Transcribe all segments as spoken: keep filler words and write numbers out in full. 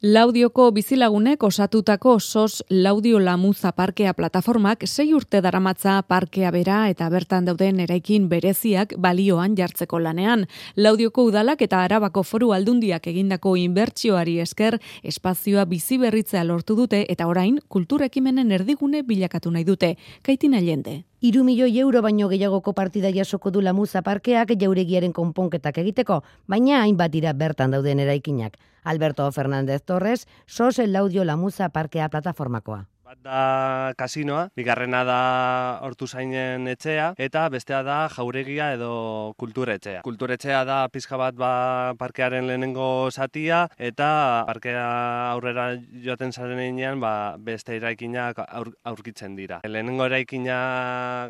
Laudioko bizilagunek osatutako sos Laudio Lamuza parkea plataformak sei urte daramatza parkea bera eta bertan dauden eraikin bereziak balioan jartzeko lanean. Laudioko udalak eta Arabako Foru Aldundiak egindako inbertsioari esker espazioa biziberritzea lortu dute eta orain kultur ekimenen erdigune bilakatu nahi dute. Kaitina Allende. Hiru milioi euro baino gehiagoko partida jasoko du Lamuza parkeak jauregiaren konponketak egiteko, baina hainbat dira bertan dauden eraikinak. Alberto Fernández Torres, sos Laudio Lamuza parkea plataformakoa. Bat da kasinoa, bigarrena da Hortuzainen etxea, eta bestea da jauregia edo kulturetxea. Kulturetxea da pizka bat ba, parkearen lehenengo zatia, eta parkea aurrera joaten zaren einean ba, beste eraikinak aur, aurkitzen dira. Lehenengo eraikina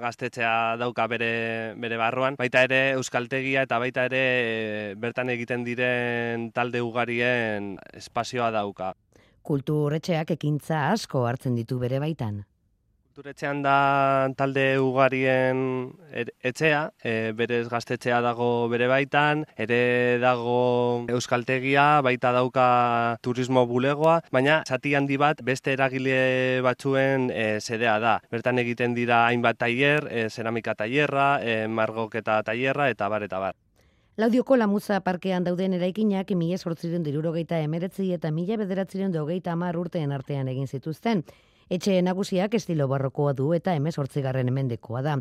gaztetxea dauka bere, bere barruan, baita ere euskaltegia eta baita ere bertan egiten diren talde ugarien espazioa dauka. Kulturetxeak ekintza asko hartzen ditu bere baitan. Kulturetxean da talde ugarien etxea, e, berez gaztetxea dago bere baitan, ere dago euskaltegia, baita dauka turismo bulegoa, baina zati handi bat beste eragile batzuen e, sedea da. Bertan egiten dira hainbat tailer, e, zeramika tailerra, e, margoketa tailerra eta bar eta bar. Laudioko Lamuza parkean dauden eraikinak mila zortziehun eta hirurogeita hemeretzi eta mila bederatziehun eta hogeita hamar urteen artean egin zituzten. Etxe nagusiak estilo barrokoa du eta hemezortzigarren mendekoa da.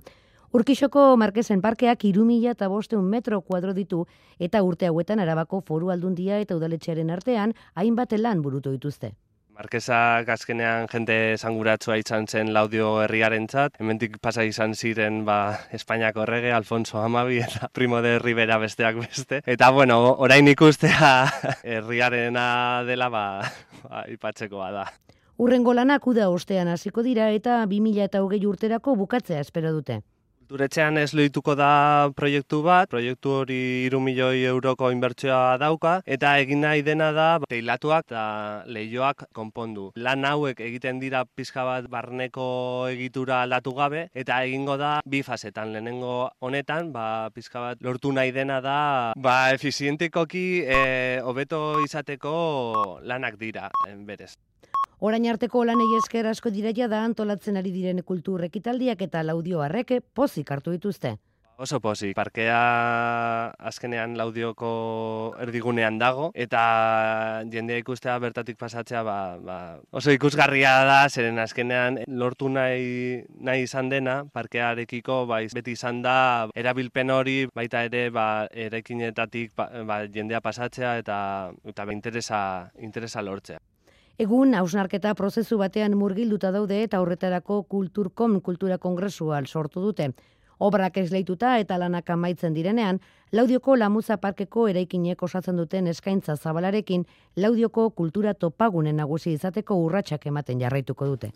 Urkixoko Markesen parkeak hiru mila bostehun metro kuadro ditu eta urte hauetan Arabako Foru Aldundia eta udaletxearen artean hainbat lan burutu dituzte. Markesak azkenean jende esanguratsua izan zen Laudio herriarentzat. Hemendik pasa izan ziren ba, Espainiako errege, Alfonso Hamabi eta Primo de Rivera besteak beste. Eta bueno, orain ikustea herriarena dela ba, ba, ipatzekoa da. Urrengo lanak uda ostean hasiko dira eta bi mila hogei urterako bukatzea espero dute. Kulturetxean ez lehituko da proiektu bat, proiektu hori hiru milioi euroko inbertsioa dauka, eta egin nahi dena da teilatuak eta leihoak konpondu. Lan hauek egiten dira pizka bat barneko egitura aldatu gabe, eta egingo da bi fasetan. Lehenengo honetan, ba, pizka bat lortu nahi dena da, ba, efizientikoki e, hobeto izateko lanak dira, berez. Orain arteko lanei esker asko dira da antolatzen ari diren kultur ekitaldiak eta Laudio harreke pozik hartu dituzte. Oso pozik. Parkea azkenean Laudioko erdigunean dago eta jendea ikustea bertatik pasatzea ba, ba, oso ikusgarria da, zeren azkenean lortu nahi, nahi izan dena parkearekiko ba, beti izan da erabilpen hori baita ere ba, eraikinetatik ba, ba, jendea pasatzea eta, eta ba, interesa, interesa lortzea. Egun, hausnarketa prozesu batean murgilduta daude eta horretarako Kulturkom kultura kongresua sortu dute. Obrak esleituta eta lanak amaitzen direnean, Laudioko Lamuza parkeko eraikinek osatzen duten eskaintza zabalarekin Laudioko kultura topagunen nagusi izateko urratsak ematen jarraituko dute.